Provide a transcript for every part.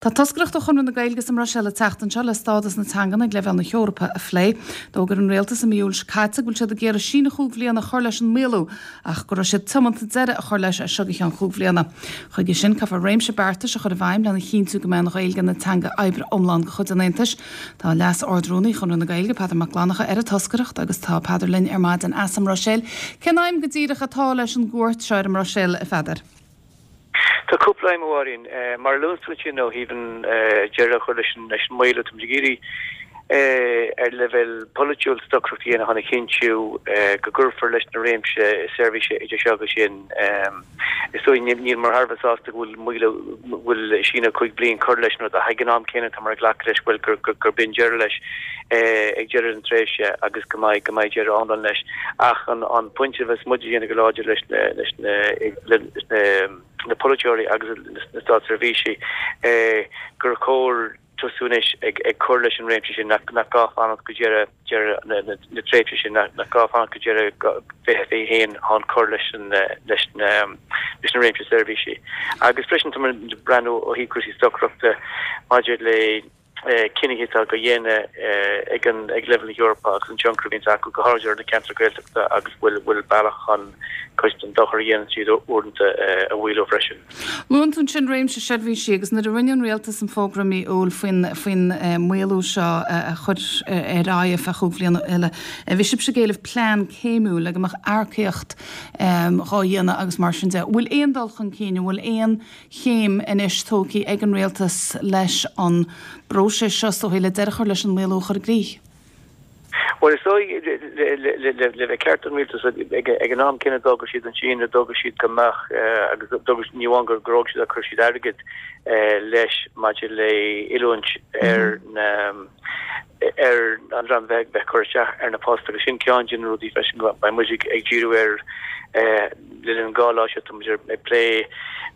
Tá toscaireacht ó Chonradh na Gaeilge sa mBruiséil ag teacht anseo le stádas na teangan ag leibhéal na hEorpa a phlé. D'fhógair an Rialtas i mí Iúil seo caite go bhfuil siad ag iarraidh síneadh chúig bhliana a chur leis an maolú ach go raibh siad tiomanta deireadh a chur leis as seo go ceann chúig bhliana. Chuige sin, caithfear réimse beartais a chur i bhfeidhm lena chinntiú go mbeidh an Ghaeilge ina teanga oibre iomlán de chuid an Aontais. Tá Leas-Ard-Rúnaí Chonradh na Gaeilge, Peadar Mac Fhlannchadha, ar an toscaireacht agus tá Peadar linn ar maidin as an mBruiséil. Cén aidhm go díreach atá leis an gcuairt seo ar an mBruiséil, a Pheadair? Tá cúpla aidhm, a Mháirín. Mar a luann tú ansin ó thaobh an deireadh a chur leis an maolú, táimid ag iarraidh ar leibhéal polaitiúil stocaireacht a dhéanamh chun a chinntiú go gcuirfear leis na réimse seirbhíse idir seo agus sin. Is dóigh níleamar thar a bheith sásta go bhfuil maolú, go bhfuil síneadh 5 bliain curtha leis an rud ach ag an am céanna táimid ag glacadh leis bhuel gur b'in deireadh leis ag deireadh na tréimhse agus go mbeidh go mbeidh deireadh iomlán leis. Ach an pointe a bheas muid a dhéanamh go láidir leis na leis na leis na na polaiteoirí agus na státseirbhísigh gur chóir tosú anois ag ag cur leis an réimse sin, nach nach gá fanacht go deireadh deireadh na na na tréimhse sin, nach nach gá fanacht go deireadh 2021 chun cur leis an leis na leis na réimse seirbhísí. Agus freisin tá muid ag breathnú ó thaobh cúrsaí stocaireachta maidir le cinnithe atá á dhéanamh ag an ag leibhéal na hEorpa agus an tionchar a bhíonns acu, go háirid ar na ceantair Ghaeltachta agus bhfuil bhfuil bealach chun cuid den dochar a dhéanann siad uaireanta a mhaolú freisin. Luann tú ansin réimse seirbhísí agus nuair a rinne an Rialtas an fógra i mí Iúil faoin faoin maolú seo a chur ar aghaidh ar feadh chúig bhliana eile, bhí sibhse ag éileamh plean céimiúil le go mbeadh earcaíocht dhá dhéanamh agus mar sin de. Bhfuil aon dul chun cinn, an bhfuil aon chéim anois tógtha ag an Rialtas leis an bpróiseas seo, is dóichí, le deireadh a chur leis an maolú a chur i gcrích? Bhuel, is dóigh, le bheith ceart don Rialtas, ag an am céanna d'fhógair siad an síneadh, d'fhógair siad go mbeadh, agus d'fhógair, ní amháin gur fhógair siad ach chuir siad airgead leis maidir le oiliúint ar na, ar an dream a bheidh ag cur isteach ar na poist agus sin ceann de na rudaí freisin go mbeidh muid ag díriú air le linn an dá lá seo. Tá muid ag plé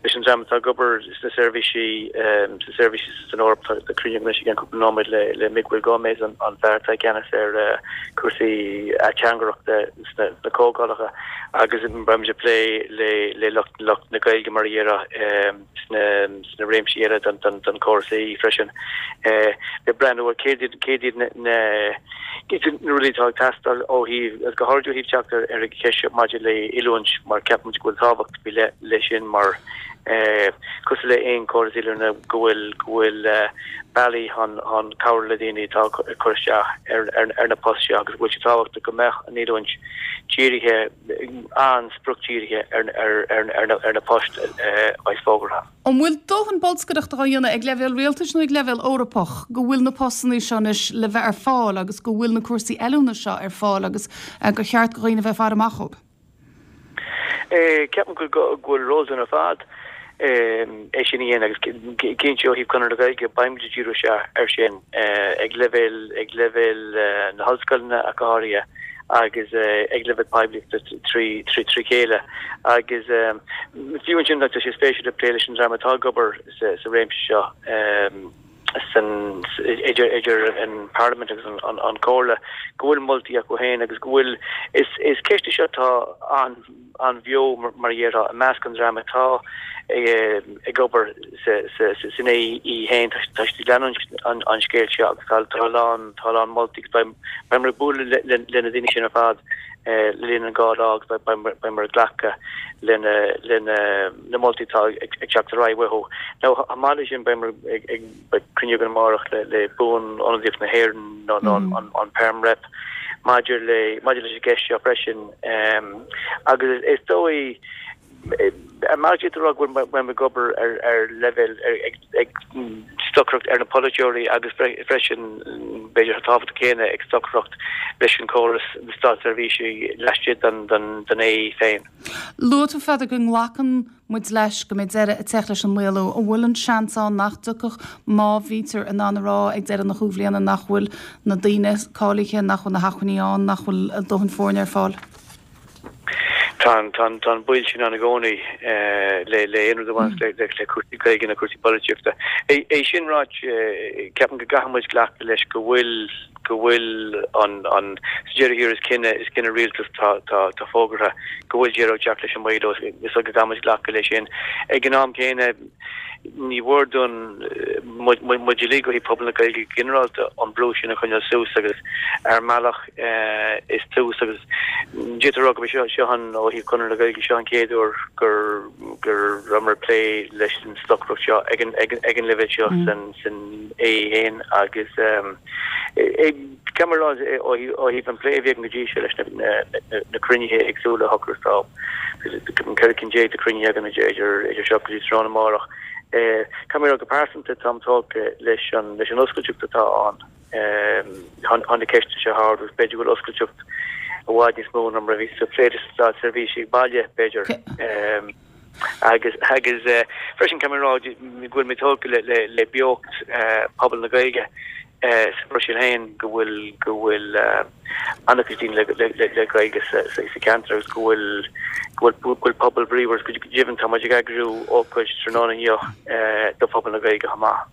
leis an dream atá ag obair sna seirbhísí sna seirbhísí san Eoraip. Tá cruinniú anois i gceann cúpla nóiméad le le Miguel Gómez an an fear atá i gceannas ar cúrsaí ateangaireachta sna sna comhdhálacha agus beidh muid ag plé le le lucht lucht na Gaeilge mar a déarfá. sna réimsí eile den chóras AE freisin, le breathnú ar céard iad céard iad na rudaí atá ag teastáil ó thaobh, agus go háirid ó thaobh teacht ar an cheist seo maidir le oiliúint mar ceapaimid go bhfuil tábhacht faoi leith leis sin mar cosúil le aon chóras oiliúna go bhfuil go bhfuil bealaí chun chun cabhrú le daoine atá ag cur isteach ar ar na poist seo agus go bhfuil sé tábhachtach go mbeadh an oiliúint dírithe an-spriocdhírithe ar na poist a bheas fógartha. An bhfuil dóthain bolscaireachta á dhéanamh ag leibhéal rialtais nó ag leibhéal Eorpach go bhfuil na postanna seo anois le bheith ar fáil agus go bhfuil na cúrsaí oiliúna seo ar fáil agus gur cheart do dhaoine bheith ag faire amach dhóibh? Ceapaim go bhfuil ról dúinn ar fad é sin a dhéanamh agus cinnte ó thaobh Conradh na Gaeilge beidh muid ag díriú isteach air sin ag leibhéal ag leibhéal na hollscoileanna ach go háirithe agus ag leibhéal poiblíochta trí trí chéile agus fiú ansin tá sé spéisiúil ag plé leis an dream atá ag obair sa réimse seo san idir idir an Parlaimint agus an an an Comhairle go bhfuil moltaí acu féin agus go bhfuil is is ceist í seo atá an an-bheo mar a déarfá i measc an dream atá ag obair san AE féin. Tá siad ag leanúint an scéil seo agus tá a lán tá a lán moltaí agus beimid ag bualadh le na daoine sin ar fad le linn an dhá lá agus beimid ag glacadh le na moltaí atá ag teacht ar aghaidh uathu. Now chomh maith leis sin beimid ag Beidh cruinniú againn amárach le Buan-Ionadaíocht na hÉireann nó an Perm Rep maidir le maidir leis an gceist seo freisin. Agus is dóigh mar d'fhéadfá a rá go bhfuil muid ag obair ar ar leibhéal ag stocaireacht ar na polaiteoirí agus freisin b'fhéidir chomh tábhachtach céanna ag stocaireacht leis an chóras na státseirbhísí laistigh den den AE féin. Luaigh tú a Pheadair go nglacann muid leis go mbeidh deireadh ag teacht leis an maolú. An bhfuil an seans ann nach dtiocfadh má bhítear in ann a rá ag deireadh na chúig bhliana nach bhfuil na daoine cáilithe, nach bhfuil na hacmhainní ann, nach bhfuil dóthain foirne ar fáil? Tá an, tá an, tá an baol sin ann i gcónaí le, le aon rud a bhaineas le, le, le cúrsaí Gaeilge nó cúrsaí polaitíochta. É, é sin ráite, ceapaim go gcaithfidh muid glacadh leis go bhfuil. go bhfuil an, an, sa deireadh thiar is cinneadh, is cinneadh rialtais atá, tá, tá fógartha go bhfuil deireadh ag teacht leis an maolú, is dóigh go gcaithfimid glacadh leis sin. Ag an am céanna, ní mhór dúinn, muid, muid uilig ó thaobh pobal na Gaeilge go ginearálta, an brú sin a choinneáil suas agus ar mbealach is tús agus d'fhéadfá a rá gurb é seo, seo an, ó thaobh Chonradh na Gaeilge, seo an chéad uair gur, go rabhamar ag plé leis an stocaireacht seo ag an, ag an, ag an leibhéal seo san, san AE féin agus caithfidh mé a rá ó thaobh an plé a bhí againn go dtí seo leis na, na, na cruinnithe éagsúla a shocraigh tá 14 cinn de chruinnithe againn idir, idir seo go dtí tráthnóna amárach. Caithfidh mé a rá go pearsanta táim tógtha leis an, leis an oscailteacht atá ann. Tá na ceisteanna seo á ardú agus b'fhéidir go bhfuil oscailteacht i bhfad níos mó ná mar a bhí sa phlé leis na státseirbhísigh baile, b'fhéidir. Agus agus freisin caithfidh mé a rá go bhfuil mé tógtha le le le beocht pobal na Gaeilge sa Bhruiséil féin, go bhfuil go bhfuil an-chuid daoine le le le Gaeilge sa sa cheantar agus go bhfuil go bhfuil go bhfuil pobal bríomhar agus go deimhin tá muid ag eagrú ócáid tráthnóna inniu do phobal na Gaeilge chomh maith.